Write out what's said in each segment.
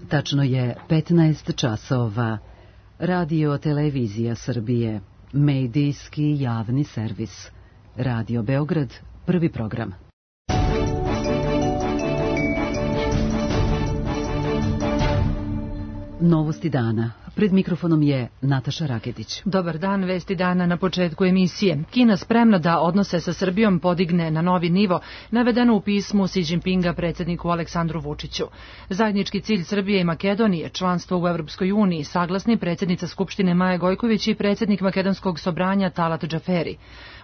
Tačno je 15 časova. Radio Televizija Srbije, medijski javni servis. Radio Beograd, prvi program. Novosti dana. Pred mikrofonom je Nataša Raketić. Dobar dan, vesti dana na početku emisije. Kina spremna da odnose sa Srbijom podigne na novi nivo, navedeno u pismu Xi Jinpinga predsjedniku Aleksandru Vučiću. Zajednički cilj Srbije i Makedonije, članstvo u Evropskoj uniji, saglasni predsjednica Skupštine Maja Gojković i predsjednik Makedonskog sobranja Talat Džaferi.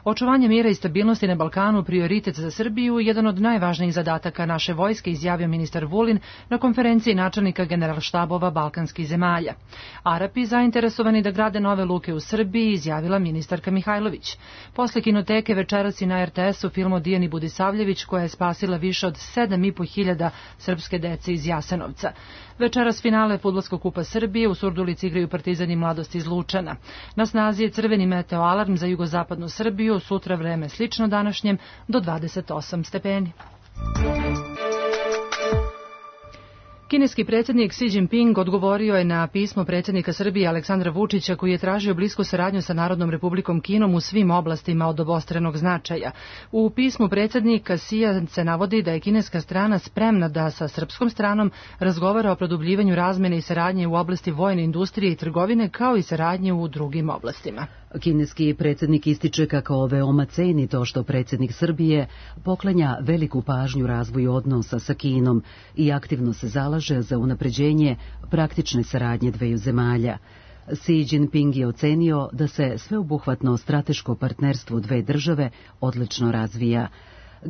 Očuvanje mira i stabilnosti na Balkanu prioritet za Srbiju, jedan od najvažnijih zadataka naše vojske, izjavio ministar Vulin na konferenciji načelnika generalštabova balkanskih zemalja. Arapi zainteresovani da grade nove luke u Srbiji, izjavila ministarka Mihajlović. Posle kinoteke večeras i na RTS-u film o Dijani Budisavljević, koja je spasila više od 7.500 srpske dece iz Jasenovca. Večeras finale Fudbalskog kupa Srbije, u Surdulici igraju Partizan i Mladost iz Lučana. Na snazi je crveni meteo alarm za jugozapadnu Srbiju, sutra vreme slično današnjem do 28 stepeni. Kineski predsjednik Xi Jinping odgovorio je na pismo predsjednika Srbije Aleksandra Vučića, koji je tražio blisku saradnju sa Narodnom Republikom Kinom u svim oblastima od obostranog značaja. U pismu predsjednika Xija se navodi da je kineska strana spremna da sa srpskom stranom razgovara o produbljivanju razmene i saradnje u oblasti vojne industrije i trgovine, kao i saradnje u drugim oblastima. Kineski predsjednik ističe kako veoma ceni to što predsjednik Srbije poklanja veliku pažnju razvoju odnosa sa Kinom i aktivno se zalaže za unapređenje praktične saradnje dveju zemalja. Xi Jinping je ocenio da se sveobuhvatno strateško partnerstvo dve države odlično razvija.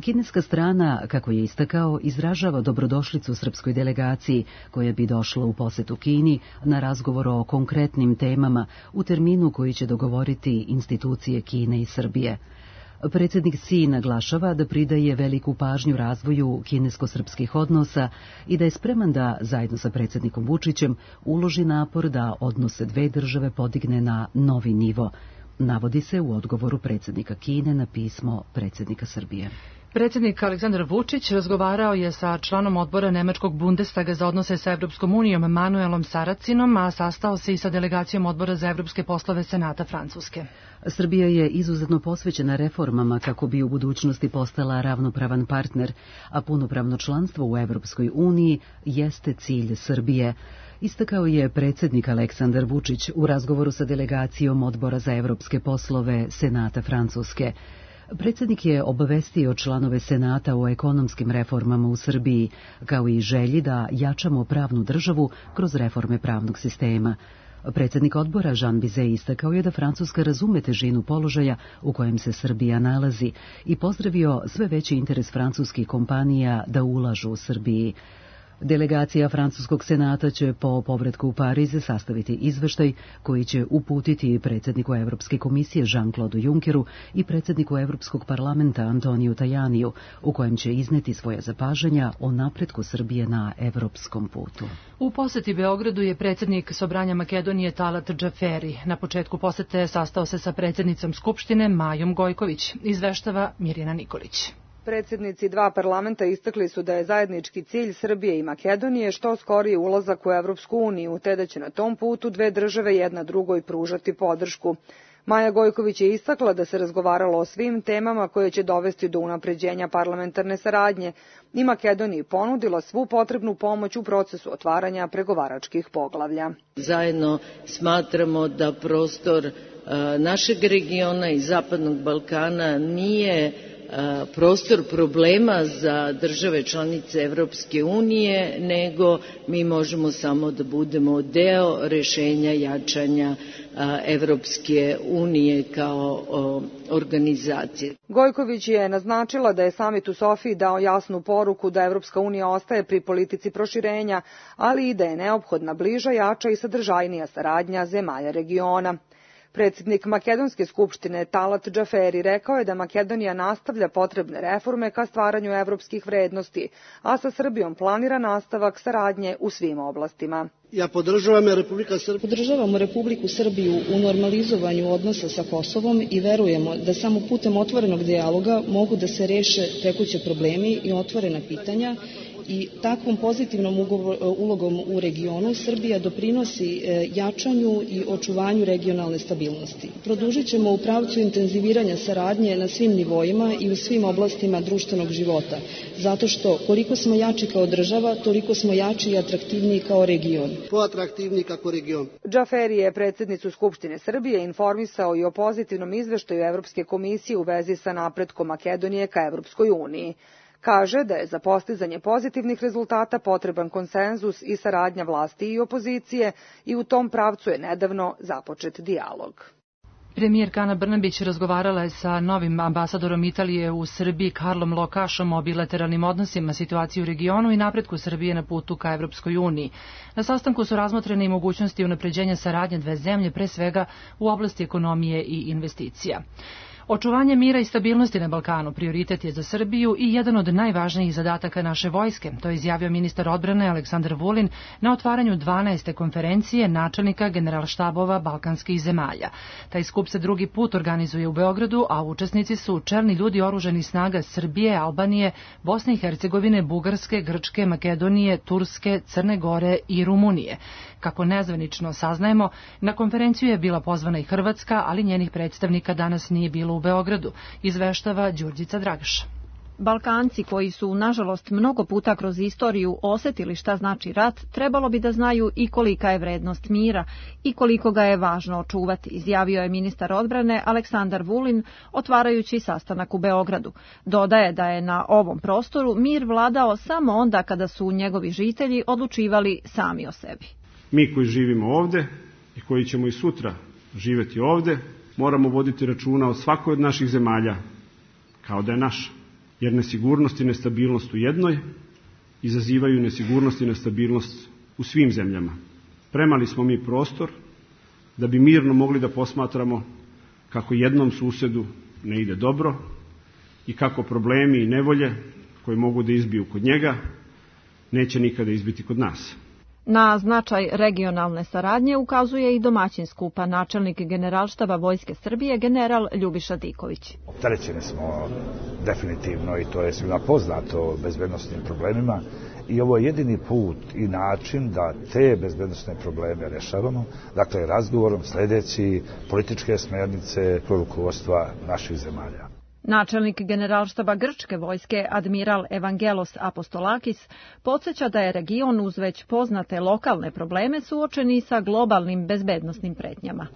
Kineska strana, kako je istakao, izražava dobrodošlicu srpskoj delegaciji koja bi došla u posetu Kini na razgovor o konkretnim temama u terminu koji će dogovoriti institucije Kine i Srbije. Predsjednik Xi naglašava da pridaje veliku pažnju razvoju kinesko-srpskih odnosa i da je spreman da, zajedno sa predsjednikom Vučićem, uloži napor da odnose dve države podigne na novi nivo. Navodi se u odgovoru predsjednika Kine na pismo predsjednika Srbije. Predsjednik Aleksandar Vučić razgovarao je sa članom odbora Nemačkog Bundestaga za odnose sa Evropskom unijom Manuelom Saracinom, a sastao se i sa delegacijom odbora za evropske poslove Senata Francuske. Srbija je izuzetno posvećena reformama kako bi u budućnosti postala ravnopravan partner, a punopravno članstvo u Evropskoj uniji jeste cilj Srbije. Istakao je predsjednik Aleksandar Vučić u razgovoru sa delegacijom odbora za evropske poslove Senata Francuske. Predsjednik je obavestio članove Senata o ekonomskim reformama u Srbiji, kao i želji da jačamo pravnu državu kroz reforme pravnog sistema. Predsjednik odbora Jean Bizet istakao je da Francuska razume težinu položaja u kojem se Srbija nalazi i pozdravio sve veći interes francuskih kompanija da ulažu u Srbiji. Delegacija Francuskog senata će po povratku u Pariz sastaviti izveštaj koji će uputiti predsjedniku Evropske komisije Jean-Claude Junckeru i predsjedniku Evropskog parlamenta Antoniju Tajaniju, u kojem će izneti svoje zapažanja o napretku Srbije na evropskom putu. U poseti Beogradu je predsjednik Sobranja Makedonije Talat Džaferi. Na početku posete sastao se sa predsjednicom Skupštine Majom Gojković, izveštava Mirjana Nikolić. Predsjednici dva parlamenta istakli su da je zajednički cilj Srbije i Makedonije što skoriji ulazak u Evropsku uniju, te da će na tom putu dve države jedna drugoj pružati podršku. Maja Gojković je istakla da se razgovaralo o svim temama koje će dovesti do unapređenja parlamentarne saradnje i Makedoniji ponudila svu potrebnu pomoć u procesu otvaranja pregovaračkih poglavlja. Zajedno smatramo da prostor našeg regiona i Zapadnog Balkana nije prostor problema za države članice Evropske unije, nego mi možemo samo da budemo deo rešenja jačanja Evropske unije kao organizacije. Gojković je naznačila da je samit u Sofiji dao jasnu poruku da Evropska unija ostaje pri politici proširenja, ali i da je neophodna bliža, jača i sadržajnija saradnja zemalja regiona. Predsjednik Makedonske skupštine Talat Džaferi rekao je da Makedonija nastavlja potrebne reforme ka stvaranju evropskih vrednosti, a sa Srbijom planira nastavak saradnje u svim oblastima. Podržavamo Republiku Srbiju u normalizovanju odnosa sa Kosovom i verujemo da samo putem otvorenog dijaloga mogu da se reše tekuće problemi i otvorena pitanja i takvom pozitivnom ulogom u regionu Srbija doprinosi jačanju i očuvanju regionalne stabilnosti. Produžit ćemo u pravcu intenziviranja saradnje na svim nivoima i u svim oblastima društvenog života, zato što koliko smo jači kao država, toliko smo jači i atraktivniji kao region. Džaferi je predsjednicu Skupštine Srbije informisao i o pozitivnom izveštaju Evropske komisije u vezi sa napretkom Makedonije ka Evropskoj uniji. Kaže da je za postizanje pozitivnih rezultata potreban konsenzus i saradnja vlasti i opozicije i u tom pravcu je nedavno započet dijalog. Premijerka Ana Brnabić razgovarala je sa novim ambasadorom Italije u Srbiji Karlom Lokašom o bilateralnim odnosima, situaciji u regionu i napretku Srbije na putu ka Evropskoj uniji. Na sastanku su razmotrene i mogućnosti unapređenja saradnje dve zemlje, pre svega u oblasti ekonomije i investicija. Očuvanje mira i stabilnosti na Balkanu prioritet je za Srbiju i jedan od najvažnijih zadataka naše vojske, to je izjavio ministar odbrane Aleksandar Vulin na otvaranju 12. konferencije načelnika generalštabova balkanskih zemalja. Taj skup se drugi put organizuje u Beogradu, a učesnici su čelni ljudi oružanih snaga Srbije, Albanije, Bosne i Hercegovine, Bugarske, Grčke, Makedonije, Turske, Crne Gore i Rumunije. Kako nezvanično saznajemo, na konferenciju je bila pozvana i Hrvatska, ali njenih predstavnika danas nije bilo u Beogradu, izveštava Đurđica Dragaš. Balkanci koji su, nažalost, mnogo puta kroz istoriju osetili šta znači rat, trebalo bi da znaju i kolika je vrednost mira i koliko ga je važno očuvati, izjavio je ministar odbrane Aleksandar Vulin, otvarajući sastanak u Beogradu. Dodaje da je na ovom prostoru mir vladao samo onda kada su njegovi žitelji odlučivali sami o sebi. Mi koji živimo ovde i koji ćemo i sutra živeti ovde, moramo voditi računa o svakoj od naših zemalja kao da je naša. Jer nesigurnost i nestabilnost u jednoj izazivaju nesigurnost i nestabilnost u svim zemljama. Premali smo mi prostor da bi mirno mogli da posmatramo kako jednom susedu ne ide dobro i kako problemi i nevolje koje mogu da izbiju kod njega neće nikada izbiti kod nas. Na značaj regionalne saradnje ukazuje i domaćin skupa načelnik Generalštaba Vojske Srbije general Ljubiša Diković. Opterećeni smo definitivno i to je svima poznato bezbednosnim problemima i ovo je jedini put i način da te bezbednosne probleme rešavamo, dakle razgovorom sledeći političke smernice rukovodstva naših zemalja. Načelnik Generalštaba Grčke vojske admiral Evangelos Apostolakis podsjeća da je region uz već poznate lokalne probleme suočeni sa globalnim bezbednosnim pretnjama.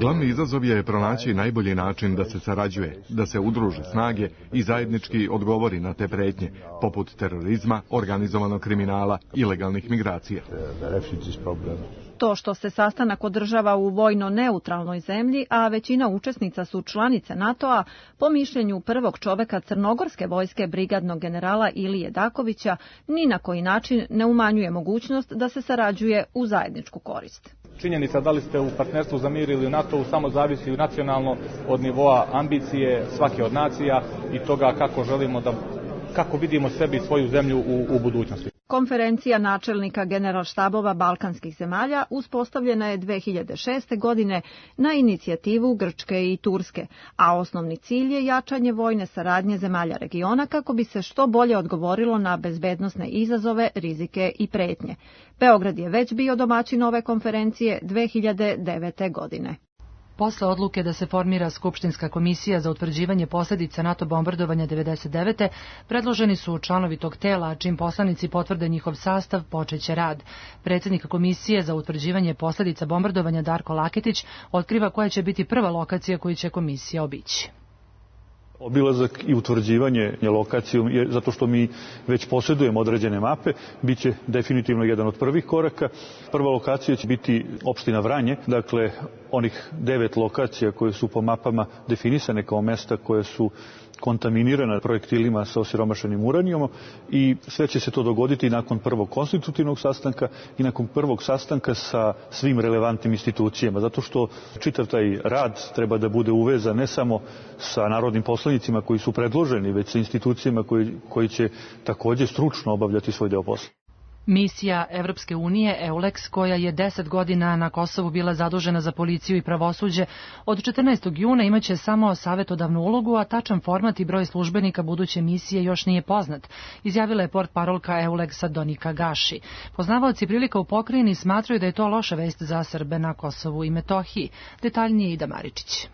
Glavni izazov je pronaći najbolji način da se sarađuje, da se udruže snage i zajednički odgovori na te pretnje, poput terorizma, organizovanog kriminala, ilegalnih migracija. To što se sastanak održava u vojno neutralnoj zemlji, a većina učesnica su članice NATO-a, po mišljenju prvog čoveka crnogorske vojske brigadnog generala Ilije Dakovića, ni na koji način ne umanjuje mogućnost da se sarađuje u zajedničku korist. Činjenica da li ste u partnerstvu za mir ili u NATO-u samo zavisi nacionalno od nivoa ambicije svake od nacija i toga kako vidimo sebi i svoju zemlju u budućnosti. Konferencija načelnika generalštabova balkanskih zemalja uspostavljena je 2006. godine na inicijativu Grčke i Turske, a osnovni cilj je jačanje vojne saradnje zemalja regiona kako bi se što bolje odgovorilo na bezbednosne izazove, rizike i pretnje. Beograd je već bio domaćin ove konferencije 2009. godine. Posle odluke da se formira Skupštinska komisija za utvrđivanje posljedica NATO bombardovanja 1999. predloženi su članovi tog tela, a čim poslanici potvrde njihov sastav, počeće rad. Predsjednik komisije za utvrđivanje posljedica bombardovanja Darko Laketić otkriva koja će biti prva lokacija koju će komisija obići. Obilazak i utvrđivanje lokacijom, zato što mi već posjedujemo određene mape, bit će definitivno jedan od prvih koraka. Prva lokacija će biti opština Vranje, dakle onih 9 lokacija koje su po mapama definisane kao mesta koje su kontaminirana projektilima sa osiromašenim uranijom i sve će se to dogoditi nakon prvog konstitutivnog sastanka i nakon prvog sastanka sa svim relevantnim institucijama, zato što čitav taj rad treba da bude uvezan ne samo sa narodnim poslanicima koji su predloženi, već sa institucijama koji će također stručno obavljati svoj deo posla. Misija Evropske unije EULEX, koja je 10 godina na Kosovu bila zadužena za policiju i pravosuđe, od 14. juna imaće samo savjetodavnu ulogu, a tačan format i broj službenika buduće misije još nije poznat, izjavila je portparolka EULEX-a Donika Gaši. Poznavaoci prilika u pokrajini smatraju da je to loša vest za Srbe na Kosovu i Metohiji. Detaljnije Ida Maričić.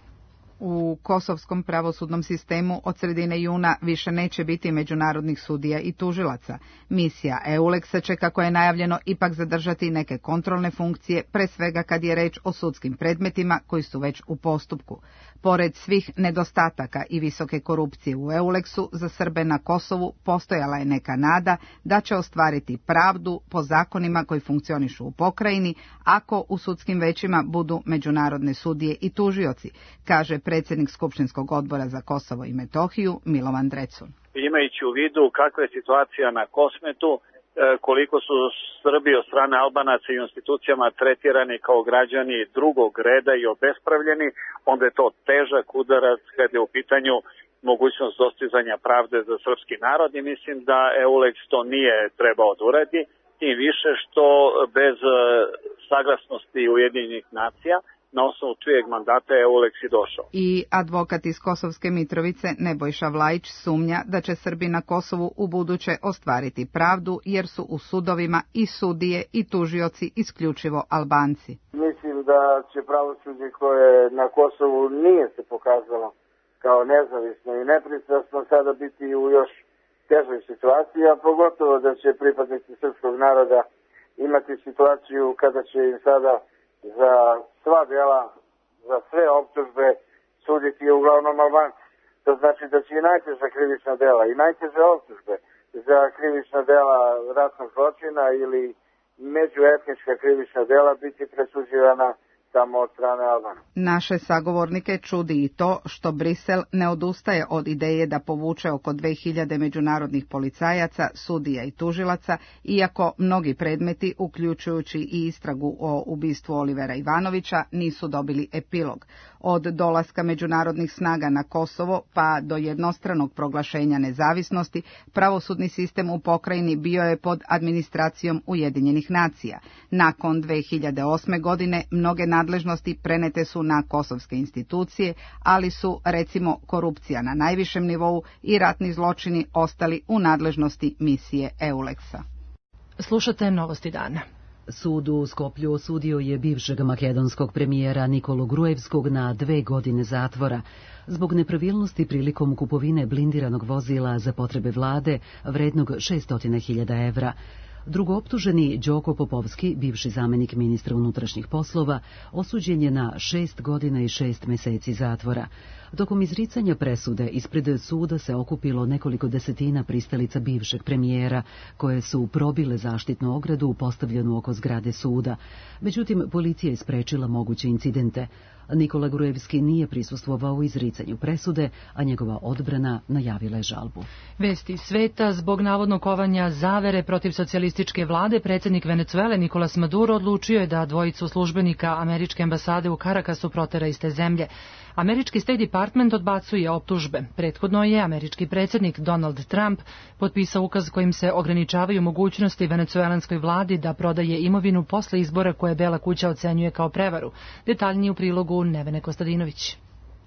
U kosovskom pravosudnom sistemu od sredine juna više neće biti međunarodnih sudija i tužilaca. Misija EULEX će, kako je najavljeno, ipak zadržati neke kontrolne funkcije, pre svega kad je reč o sudskim predmetima koji su već u postupku. Pored svih nedostataka i visoke korupcije u EULEX-u, za Srbe na Kosovu postojala je neka nada da će ostvariti pravdu po zakonima koji funkcionišu u pokrajini, ako u sudskim većima budu međunarodne sudije i tužioci, kaže predsjednik Skupštinskog odbora za Kosovo i Metohiju Milovan Drecun. Imajući u vidu kakva je situacija na Kosmetu, koliko su Srbi od strane Albanaca i institucijama tretirani kao građani drugog reda i obespravljeni, onda je to težak udarac kada je u pitanju mogućnost dostizanja pravde za srpski narod i mislim da EULEX to nije trebao da uradi, tim više što bez saglasnosti Ujedinjenih nacija na osnovu čijeg mandata je EULEX i došao. I advokat iz Kosovske Mitrovice Nebojša Vlajić sumnja da će Srbi na Kosovu u buduće ostvariti pravdu, jer su u sudovima i sudije i tužioci isključivo Albanci. Mislim da će pravosuđe koje na Kosovu nije se pokazalo kao nezavisno i nepristrasno sada biti u još težoj situaciji, a pogotovo da će pripadnici srpskog naroda imati situaciju kada će im sada za sva dela, za sve optužbe suditi uglavnom Albanci. To znači da će i najteža krivična dela i najteže optužbe za krivična dela ratnog zločina ili međuetnička krivična dela biti presuđivana samo od strane Albana. Naše sagovornike čudi i to što Brisel ne odustaje od ideje da povuče oko 2000 međunarodnih policajaca, sudija i tužilaca, iako mnogi predmeti, uključujući i istragu o ubistvu Olivera Ivanovića, nisu dobili epilog. Od dolaska međunarodnih snaga na Kosovo pa do jednostranog proglašenja nezavisnosti, pravosudni sistem u pokrajini bio je pod administracijom Ujedinjenih nacija. Nakon 2008. godine mnoge nadležnosti prenete su na kosovske institucije, ali su, recimo, korupcija na najvišem nivou i ratni zločini ostali u nadležnosti misije EULEX-a. Slušate Novosti dana. Sud u Skoplju osudio je bivšeg makedonskog premijera Nikolu Gruevskog na 2 godine zatvora zbog nepravilnosti prilikom kupovine blindiranog vozila za potrebe vlade vrednog 600.000 evra. Drugooptuženi Đoko Popovski, bivši zamenik ministra unutrašnjih poslova, osuđen je na 6 godina i 6 meseci zatvora. Tokom izricanja presude ispred suda se okupilo nekoliko desetina pristalica bivšeg premijera, koje su probile zaštitnu ogradu postavljenu oko zgrade suda. Međutim, policija je sprečila moguće incidente. Nikola Gruevski nije prisustvovao u izricanju presude, a njegova odbrana najavila je žalbu. Vesti sveta: zbog navodnog kovanja zavere protiv socijalističke vlade, predsjednik Venecuele Nicolas Maduro odlučio je da dvojicu službenika američke ambasade u Karakasu protera iz te zemlje. Američki State Department odbacuje optužbe. Prethodno je američki predsjednik Donald Trump potpisao ukaz kojim se ograničavaju mogućnosti venecuelanskoj vladi da prodaje imovinu posle izbora koje Bela kuća ocenjuje kao prevaru. Detaljnije u prilogu Nevene Kostadinović.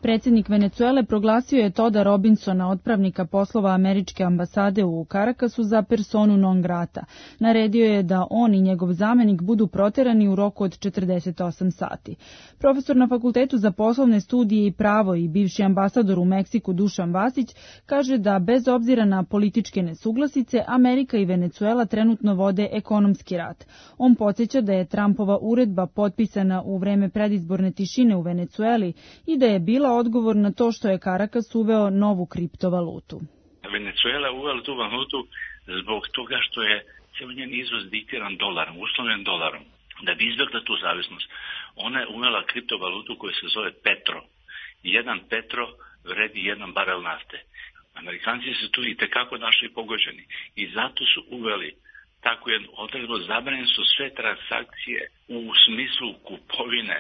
Predsjednik Venecuele proglasio je Toda Robinsona, otpravnika poslova američke ambasade u Karakasu, za personu non grata. Naredio je da on i njegov zamenik budu proterani u roku od 48 sati. Profesor na Fakultetu za poslovne studije i pravo i bivši ambasador u Meksiku Dušan Vasić kaže da bez obzira na političke nesuglasice, Amerika i Venecuela trenutno vode ekonomski rat. On podsjeća da je Trumpova uredba potpisana u vreme predizborne tišine u Venecueli i da je bila odgovor na to što je Karakas uveo novu kriptovalutu. Venecuela uvela tu valutu zbog toga što je cijel njen izvoz diktiran dolarom, uslovljen dolarom. Da bi izbjegla tu zavisnost, ona je uvela kriptovalutu koja se zove Petro. Jedan Petro vredi 1 barel nafte. Amerikanci su tu i tekako našli pogođeni i zato su uveli tako jednu odredbu, zabranjene su sve transakcije u smislu kupovine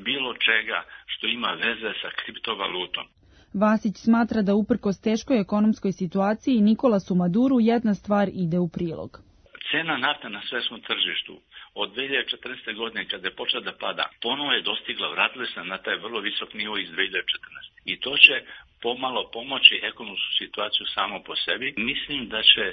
bilo čega što ima veze sa kriptovalutom. Vasić smatra da uprkos teškoj ekonomskoj situaciji Nikolasu Maduru jedna stvar ide u prilog. Cena nafte na svetskom tržištu od 2014. godine kada je počela da pada, ponovo je dostigla, vratila se na taj vrlo visok nivo iz 2014. I to će pomalo pomoći ekonomsku situaciju samo po sebi. Mislim da će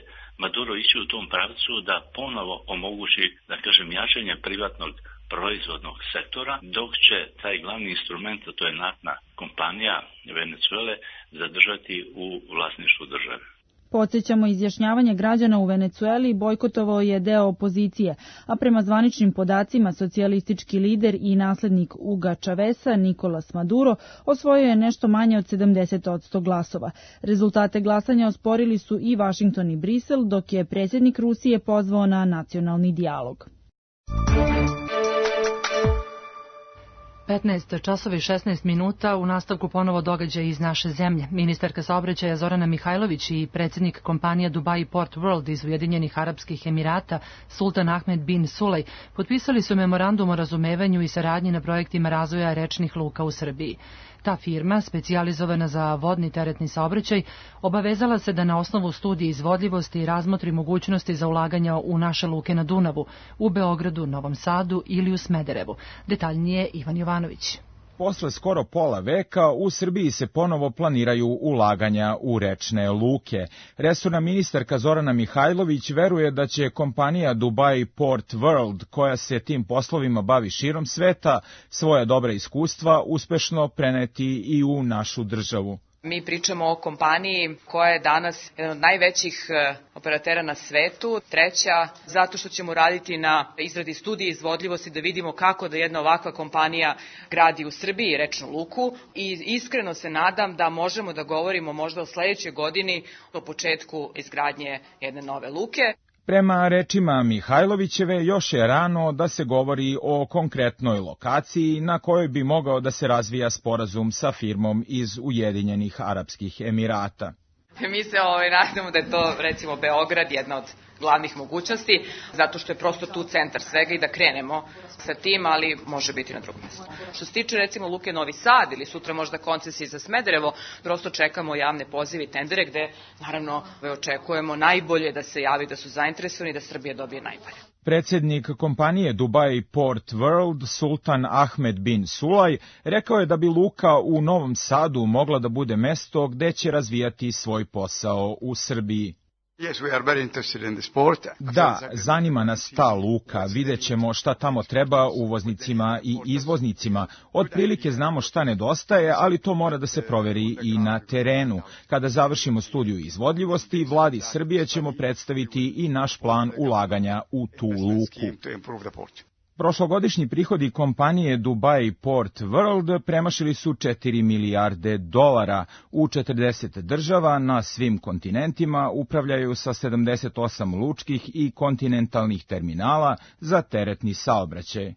Maduro ići u tom pravcu da ponovo omogući, da kažem, jačanje privatnog proizvodnog sektora, dok će taj glavni instrument, a to je naftna kompanija Venecuele, zadržati u vlasništvu države. Podsjećamo, izjašnjavanje građana u Venecueli bojkotovao je deo opozicije, a prema zvaničnim podacima socijalistički lider i naslednik Huga Chaveza, Nicolas Maduro, osvojio je nešto manje od 70% glasova. Rezultate glasanja osporili su i Vašington i Brisel, dok je predsjednik Rusije pozvao na nacionalni dijalog. 15 časova i 16 minuta, u nastavku ponovo događaj iz naše zemlje. Ministarka saobraćaja Zorana Mihajlović i predsjednik kompanije Dubai Port World iz Ujedinjenih Arapskih Emirata, Sultan Ahmed bin Sulej, potpisali su memorandum o razumevanju i saradnji na projektima razvoja rečnih luka u Srbiji. Ta firma, specijalizovana za vodni teretni saobraćaj, obavezala se da na osnovu studije izvodljivosti razmotri mogućnosti za ulaganja u naše luke na Dunavu, u Beogradu, Novom Sadu ili u Smederevu. Detaljnije Ivan Jovanović. Posle skoro pola veka u Srbiji se ponovo planiraju ulaganja u rečne luke. Resorna ministarka Zorana Mihajlović veruje da će kompanija Dubai Port World, koja se tim poslovima bavi širom sveta, svoja dobra iskustva uspešno preneti i u našu državu. Mi pričamo o kompaniji koja je danas jedan od najvećih operatera na svetu, treća zato što ćemo raditi na izradi studije izvodljivosti da vidimo kako da jedna ovakva kompanija gradi u Srbiji rečnu luku i iskreno se nadam da možemo da govorimo možda o sledećoj godini o početku izgradnje jedne nove luke. Prema rečima Mihajlovićeve, još je rano da se govori o konkretnoj lokaciji na kojoj bi mogao da se razvija sporazum sa firmom iz Ujedinjenih Arapskih Emirata. Mi se nadamo da je to recimo Beograd, jedna od glavnih mogućnosti, zato što je prosto tu centar svega i da krenemo sa tim, ali može biti na drugom mjestu. Što se tiče recimo luke Novi Sad ili sutra možda koncesije za Smederevo, prosto čekamo javne pozive i tendere gde naravno očekujemo najbolje da se javi da su zainteresovani da Srbija dobije najbolje. Predsjednik kompanije Dubai Port World, Sultan Ahmed bin Sulej, rekao je da bi luka u Novom Sadu mogla da bude mesto gde će razvijati svoj posao u Srbiji. Da, zanima nas ta luka, vidjet ćemo šta tamo treba uvoznicima i izvoznicima. Otprilike znamo šta nedostaje, ali to mora da se proveri i na terenu. Kada završimo studiju izvodljivosti, vladi Srbije ćemo predstaviti i naš plan ulaganja u tu luku. Prošlogodišnji prihodi kompanije Dubai Port World premašili su 4 milijarde dolara. U 40 država na svim kontinentima upravljaju sa 78 lučkih i kontinentalnih terminala za teretni saobraćaj.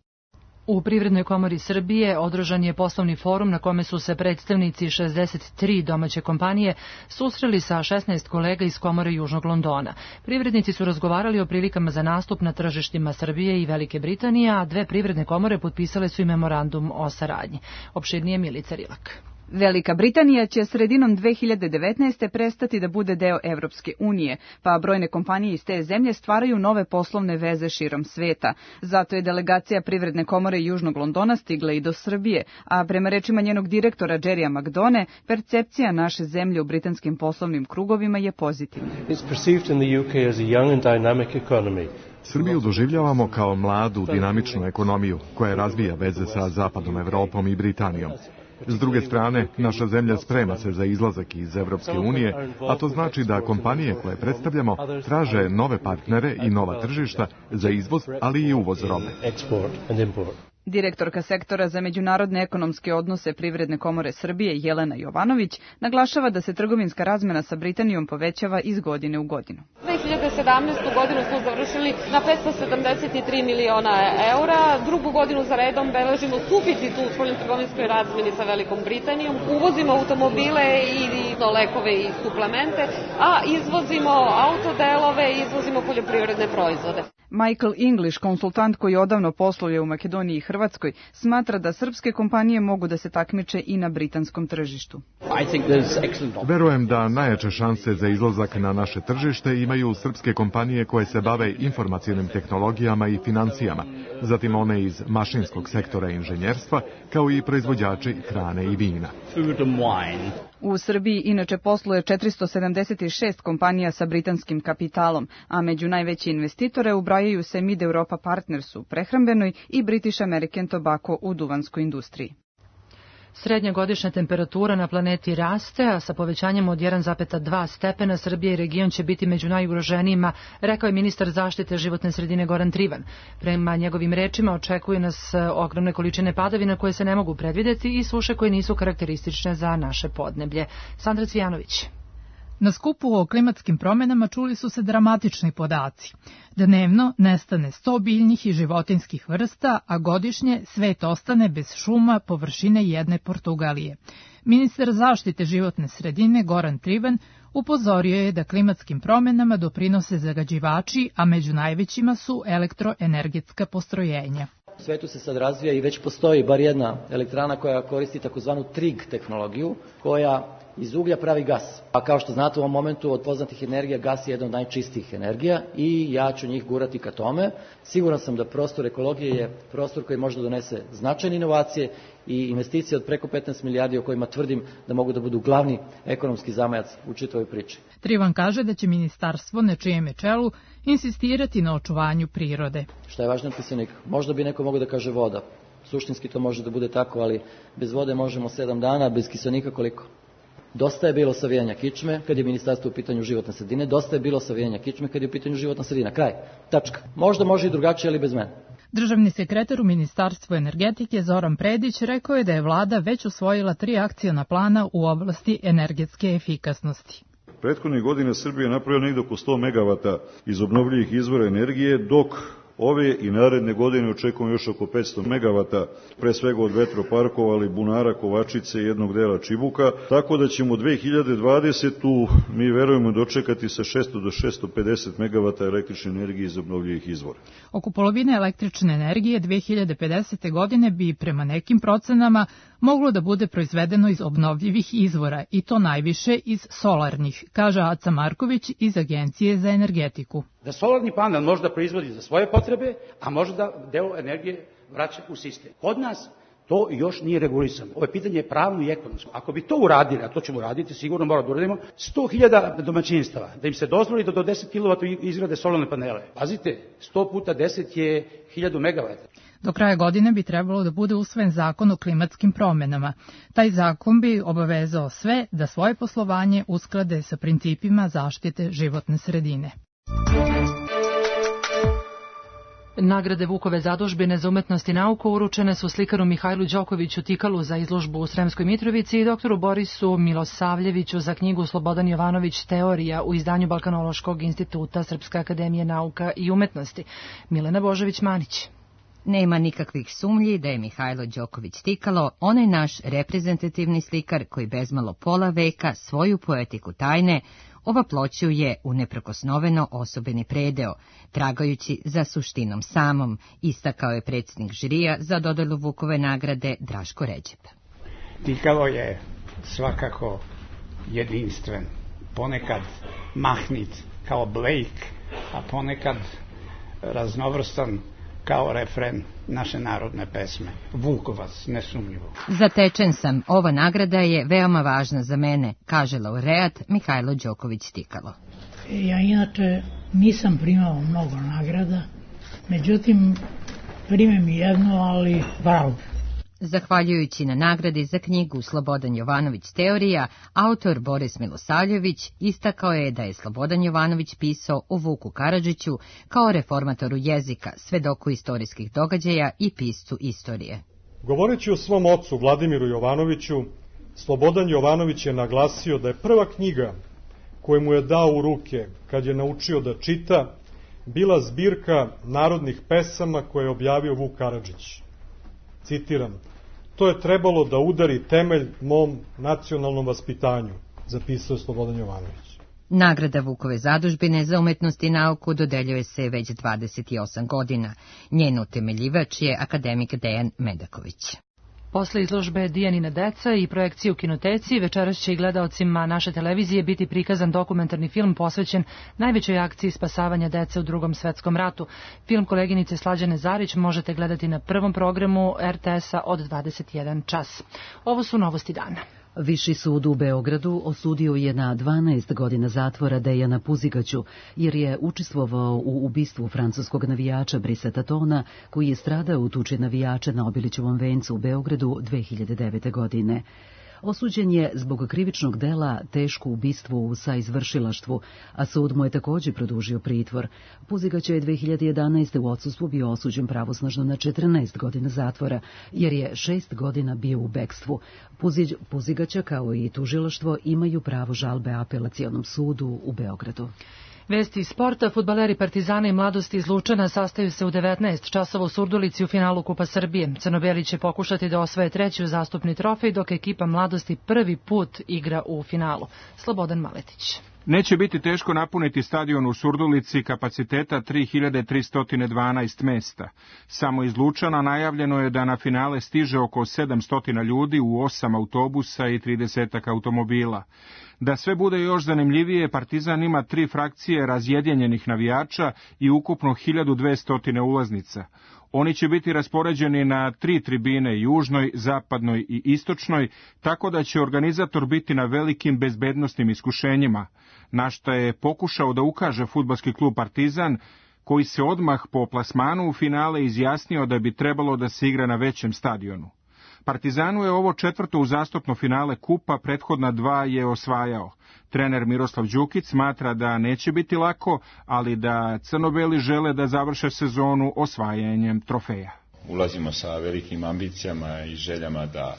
U Privrednoj komori Srbije održan je poslovni forum na kome su se predstavnici 63 domaće kompanije susreli sa 16 kolega iz komore Južnog Londona. Privrednici su razgovarali o prilikama za nastup na tržištima Srbije i Velike Britanije, a dve privredne komore potpisale su i memorandum o saradnji. Opširnije Milica Rilak. Velika Britanija će sredinom 2019. prestati da bude deo Evropske unije, pa brojne kompanije iz te zemlje stvaraju nove poslovne veze širom sveta. Zato je delegacija Privredne komore Južnog Londona stigla i do Srbije, a prema rečima njenog direktora Jerrya McDone, percepcija naše zemlje u britanskim poslovnim krugovima je pozitivna. Srbiju doživljavamo kao mladu, dinamičnu ekonomiju koja razvija veze sa Zapadnom Evropom i Britanijom. S druge strane, naša zemlja sprema se za izlazak iz Evropske unije, a to znači da kompanije koje predstavljamo traže nove partnere i nova tržišta za izvoz, ali i uvoz robe. Direktorka sektora za međunarodne ekonomske odnose Privredne komore Srbije Jelena Jovanović naglašava da se trgovinska razmena sa Britanijom povećava iz godine u godinu. 2017. godinu smo završili na 573 miliona eura, drugu godinu za redom beležimo suficit u spoljnotrgovinskoj razmeni sa Velikom Britanijom, uvozimo automobile i lekove i suplemente, a izvozimo autodelove i izvozimo poljoprivredne proizvode. Michael English, konsultant koji odavno posluje u Makedoniji i Hrvatskoj, smatra da srpske kompanije mogu da se takmiče i na britanskom tržištu. Verujem da najjače šanse za izlazak na naše tržište imaju srpske kompanije koje se bave informacionim tehnologijama i financijama, zatim one iz mašinskog sektora inženjerstva, kao i proizvođači hrane i vina. U Srbiji inače posluje 476 kompanija sa britanskim kapitalom, a među najveće investitore ubrajaju se Mid Europa Partners u prehrambenoj i British American Tobacco u duvanskoj industriji. Srednja godišnja temperatura na planeti raste, a sa povećanjem od 1,2 stepena Srbija i region će biti među najugroženijima, rekao je ministar zaštite životne sredine Goran Trivan. Prema njegovim rečima očekuje nas ogromne količine padavina koje se ne mogu predvideti i suše koje nisu karakteristične za naše podneblje. Sandra Cvijanović. Na skupu o klimatskim promjenama čuli su se dramatični podaci. Dnevno nestane 100 biljnih i životinskih vrsta, a godišnje svet ostane bez šuma površine jedne Portugalije. Ministar zaštite životne sredine Goran Trivan upozorio je da klimatskim promjenama doprinose zagađivači, a među najvećima su elektroenergetska postrojenja. U svetu se sad razvija i već postoji bar jedna elektrana koja koristi takozvanu TRIG tehnologiju, koja iz uglja pravi gas. A kao što znate, u ovom momentu od poznatih energija gas je jedna od najčistijih energija i ja ću njih gurati ka tome. Siguran sam da prostor ekologije je prostor koji može da donese značajne inovacije i investicije od preko 15 milijardi o kojima tvrdim da mogu da budu glavni ekonomski zamajac u čitavoj priči. Trivan kaže da će ministarstvo na čijem je čelu insistirati na očuvanju prirode. Šta je važno od kiselnika? Možda bi neko mogao da kaže voda. Suštinski to može da bude tako, ali bez vode možemo 7 dana, bez kiselnika koliko? Dosta je bilo savijanja kičme kad je ministarstvo u pitanju životne sredine, dosta je bilo savijanja kičme kad je u pitanju životna sredina. Kraj. Tačka. Možda može i drugačije, ali bez mene. Državni sekretar u Ministarstvu energetike Zoran Predić rekao je da je vlada već usvojila 3 akciona plana u oblasti energetske efikasnosti. Prethodnih godina Srbija je napravila negdje oko 100 megavata iz obnovljivih izvora energije, dok ove i naredne godine očekujemo još oko 500 megavata, pre svega od vetroparkova, ali Bunara, Kovačice i jednog dela Čibuka, tako da ćemo 2020. mi verujemo dočekati sa 600 do 650 megavata električne energije iz obnovljivih izvora. Oko polovine električne energije 2050. godine bi prema nekim procenama moglo da bude proizvedeno iz obnovljivih izvora i to najviše iz solarnih, kaže Aca Marković iz Agencije za energetiku. Da solarni panel može da proizvodi za svoje potrebe, a može da deo energije vraća u sistem. Kod nas to još nije regulisano. Ovo je pitanje pravno i ekonomsko. Ako bi to uradili, a to ćemo uraditi, sigurno moramo da uradimo, 100.000 domaćinstava, da im se dozvoli da do 10 kW izgrade solarne panele. Pazite, 100 puta 10 je 1000 megavata. Do kraja godine bi trebalo da bude usvojen zakon o klimatskim promjenama. Taj zakon bi obavezao sve da svoje poslovanje usklade sa principima zaštite životne sredine. Nagrade Vukove zadužbine za umetnost i nauku uručene su slikaru Mihajlu Đokoviću Tikalu za izložbu u Sremskoj Mitrovici i doktoru Borisu Milosavljeviću za knjigu Slobodan Jovanović Teorija u izdanju Balkanološkog instituta Srpske akademije nauka i umetnosti. Milena Božović-Manić. Nema nikakvih sumnji da je Mihajlo Đoković Tikalo onaj naš reprezentativni slikar koji bezmalo pola veka svoju poetiku tajne ovaploćuje u neprikosnoveno osobeni predeo, tragajući za suštinom samom, istakao je predsjednik žirija za dodelu Vukove nagrade Draško Ređep. Tikalo je svakako jedinstven, ponekad mahnit kao Blake, a ponekad raznovrstan kao refren naše narodne pesme. Vukovac, nesumnjivo. Zatečen sam, ova nagrada je veoma važna za mene, kaže laureat Mihajlo Đoković Tikalo. Ja inače nisam primao mnogo nagrada, međutim primim jednu, ali bravo. Zahvaljujući na nagradi za knjigu Slobodan Jovanović Teorija, autor Boris Milosavljević istakao je da je Slobodan Jovanović pisao o Vuku Karadžiću kao reformatoru jezika, svedoku istorijskih događaja i piscu istorije. Govoreći o svom ocu Vladimiru Jovanoviću, Slobodan Jovanović je naglasio da je prva knjiga koju mu je dao u ruke kad je naučio da čita bila zbirka narodnih pesama koje je objavio Vuk Karadžić. Citiram, to je trebalo da udari temelj mom nacionalnom vaspitanju, zapisao je Slobodan Jovanović. Nagrada Vukove zadužbine za umetnost i nauku dodeljuje se već 28 godina. Njen utemeljivač je akademik Dejan Medaković. Posle izložbe Dijanina deca i projekcije u kinoteci, večeras će i gledaocima naše televizije biti prikazan dokumentarni film posvećen najvećoj akciji spasavanja dece u Drugom svetskom ratu. Film koleginice Slađane Zarić možete gledati na prvom programu RTS-a od 21 čas. Ovo su novosti dana. Viši sud u Beogradu osudio je na 12 godina zatvora Dejana Puzigaću, jer je učestvovao u ubistvu francuskog navijača Briseta Tona, koji je stradao u tuči navijača na Obilićevom vencu u Beogradu 2009. godine. Osuđen je zbog krivičnog dela teško ubistvo u saizvršilaštvu, a sud mu je također produžio pritvor. Puzigać je 2011. u odsustvu bio osuđen pravosnažno na 14 godina zatvora, jer je 6 godina bio u bekstvu. Puzigaća kao i tužilaštvo imaju pravo žalbe apelacionom sudu u Beogradu. Vesti iz sporta, fudbaleri Partizana i Mladosti iz Lučana sastaju se u 19 časova u Surdulici u finalu Kupa Srbije. Crnobeli će pokušati da osvoje treći uzastopni trofej, dok ekipa Mladosti prvi put igra u finalu. Slobodan Maletić. Neće biti teško napuniti stadion u Surdulici kapaciteta 3312 mesta. Samo iz Lučana najavljeno je da na finale stiže oko 700 ljudi u 8 autobusa i 30 automobila. Da sve bude još zanimljivije, Partizan ima 3 frakcije razjedinjenih navijača i ukupno 1200 ulaznica. Oni će biti raspoređeni na 3 tribine, južnoj, zapadnoj i istočnoj, tako da će organizator biti na velikim bezbednosnim iskušenjima, na što je pokušao da ukaže fudbalski klub Partizan, koji se odmah po plasmanu u finale izjasnio da bi trebalo da se igra na većem stadionu. Partizanu je ovo 4. uzastopno finale kupa, prethodna 2 je osvajao. Trener Miroslav Đukić smatra da neće biti lako, ali da crnobeli žele da završe sezonu osvajanjem trofeja. Ulazimo sa velikim ambicijama i željama da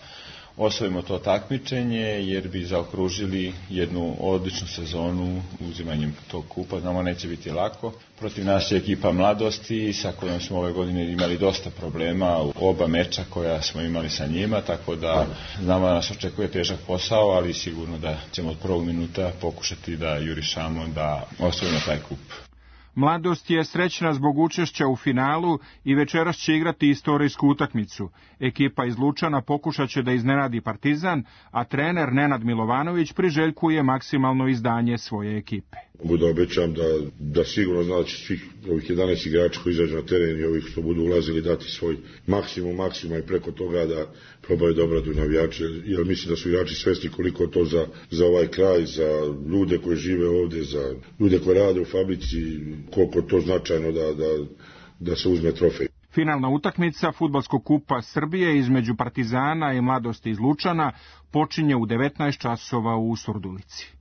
osvojimo to takmičenje, jer bi zaokružili jednu odličnu sezonu uzimanjem tog kupa. Znamo, neće biti lako. Protiv nas je ekipa Mladosti, sa kojom smo ove godine imali dosta problema u oba meča koja smo imali sa njima, tako da znamo da nas očekuje težak posao, ali sigurno da ćemo od prvog minuta pokušati da jurišamo da osvojimo taj kup. Mladost je srećna zbog učešća u finalu i večeras će igrati istorijsku utakmicu. Ekipa iz Lučana pokušat će da iznenadi Partizan, a trener Nenad Milovanović priželjkuje maksimalno izdanje svoje ekipe. Mogu da obećam da sigurno znači svih ovih 11 igrača koji izađu na teren i ovih što budu ulazili dati svoj maksimum i preko toga da probaju da obradu navijače, jer mislim da su igrači svesni koliko to za ovaj kraj, za ljude koji žive ovdje, za ljude koji rade u fabrici, koliko to značajno da se uzme trofej. Finalna utakmica fudbalskog kupa Srbije između Partizana i Mladosti iz Lučana počinje u 19 časova u Surdulici.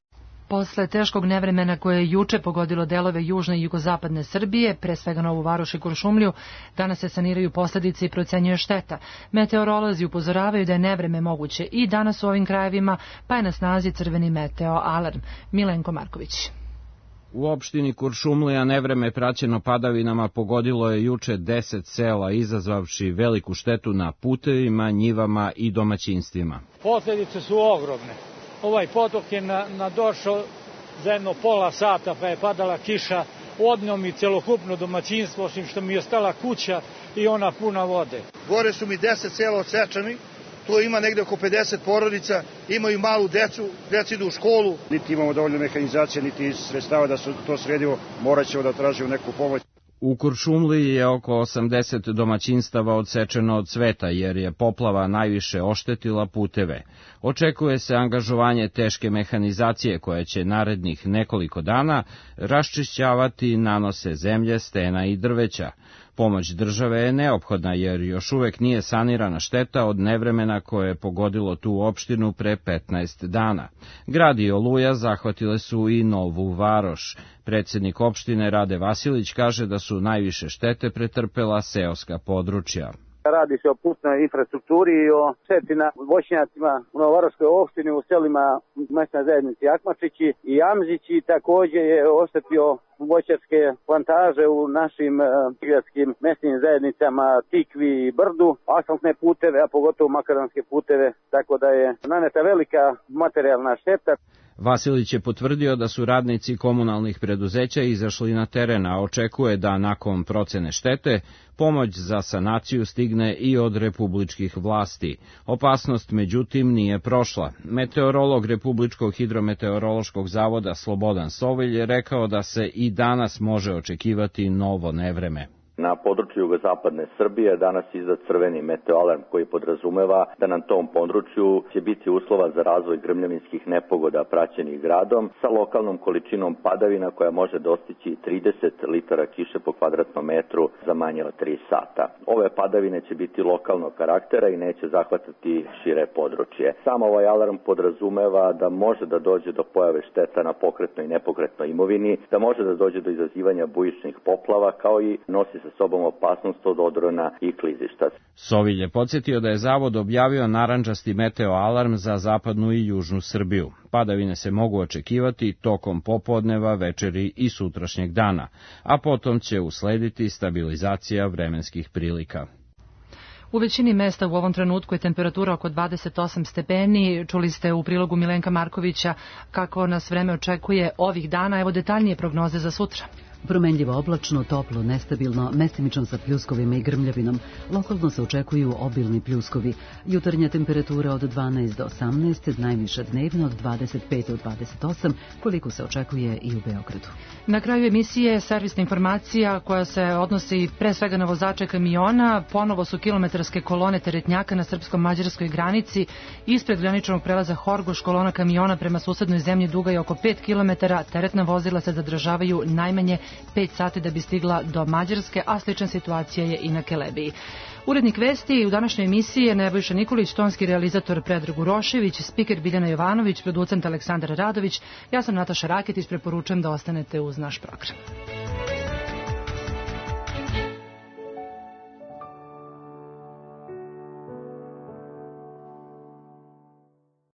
Posle teškog nevremena koje je juče pogodilo delove južne i jugozapadne Srbije, pre svega Novu Varoš i Kuršumliju, danas se saniraju posljedice i procenjuje šteta. Meteorolozi upozoravaju da je nevreme moguće i danas u ovim krajevima, pa je na snazi crveni meteo alarm. Milenko Marković. U opštini Kuršumlija nevreme praćeno padavinama pogodilo je juče 10 sela, izazvavši veliku štetu na putevima, njivama i domaćinstvima. Posljedice su ogromne. Ovaj potok je nadošao za jedno pola sata, pa je padala kiša, odneo mi celokupno domaćinstvo, osim što mi je ostala kuća i ona puna vode. Gore su mi 10 sela odsečani, tu ima negde oko 50 porodica, imaju malu decu, deca idu u školu. Niti imamo dovoljno mehanizacije, niti sredstava da se to sredimo, morat ćemo da tražimo neku pomoć. U Kuršumliji je oko 80 domaćinstava odsečeno od sveta, jer je poplava najviše oštetila puteve. Očekuje se angažovanje teške mehanizacije koja će narednih nekoliko dana raščišćavati nanose zemlje, stena i drveća. Pomoć države je neophodna jer još uvek nije sanirana šteta od nevremena koje je pogodilo tu opštinu pre 15 dana. Grad i oluja zahvatile su i Novu Varoš. Predsjednik opštine Rade Vasilić kaže da su najviše štete pretrpela seoska područja. Radi se o putnoj infrastrukturi i o šteti na voćnjacima u Novovaroškoj opštini, u selima mesne zajednice Jakmačići i Jamzići. Također je oštetio voćarske plantaže u našim prigradskim mesnim zajednicama Tikvi i Brdu, asfaltne puteve, a pogotovo makaronske puteve, tako da je naneta velika materijalna šteta. Vasilić je potvrdio da su radnici komunalnih preduzeća izašli na teren, a očekuje da nakon procene štete pomoć za sanaciju stigne i od republičkih vlasti. Opasnost, međutim, nije prošla. Meteorolog Republičkog hidrometeorološkog zavoda Slobodan Sovilj je rekao da se i danas može očekivati novo nevreme. Na području jugozapadne Srbije danas izdat crveni meteoalarm koji podrazumeva da na tom području će biti uslova za razvoj grmljavinskih nepogoda praćenih gradom sa lokalnom količinom padavina koja može dostići 30 litara kiše po kvadratnom metru za manje od 3 sata. Ove padavine će biti lokalnog karaktera i neće zahvatati šire područje. Sam ovaj alarm podrazumeva da može da dođe do pojave šteta na pokretnoj i nepokretnoj imovini, da može da dođe do izazivanja bujičnih poplava, kao i nosi sa sobom opasnost od odrona i klizišta. Sovilj je podsjetio da je zavod objavio narandžasti meteo alarm za zapadnu i južnu Srbiju. Padavine se mogu očekivati tokom popodneva, večeri i sutrašnjeg dana, a potom će uslediti stabilizacija vremenskih prilika. U većini mesta u ovom trenutku je temperatura oko 28 stepeni. Čuli ste u prilogu Milenka Markovića kako nas vreme očekuje ovih dana. Evo detaljnije prognoze za sutra. Promenljivo oblačno, toplo, nestabilno, mestimično sa pljuskovima i grmljavinom. Lokalno se očekuju obilni pljuskovi. Jutarnja temperatura od 12 do 18, najviša dnevna od 25 do 28, koliko se očekuje i u Beogradu. Na kraju emisije servisna informacija koja se odnosi pre svega na vozače kamiona. Ponovo su kilometarske kolone teretnjaka na srpsko-mađarskoj granici. Ispred graničnog prelaza Horgoš kolona kamiona prema susednoj zemlji duga je oko 5 km. Teretna vozila se zadržavaju najmanje 5 sati da bi stigla do Mađarske, a slična situacija je i na Kelebiji. Urednik vesti u današnjoj emisiji je Nebojša Nikolić, tonski realizator Predrag Urošević, spiker Biljana Jovanović, producent Aleksandar Radović. Ja sam Nataša Raketić, preporučujem da ostanete uz naš program.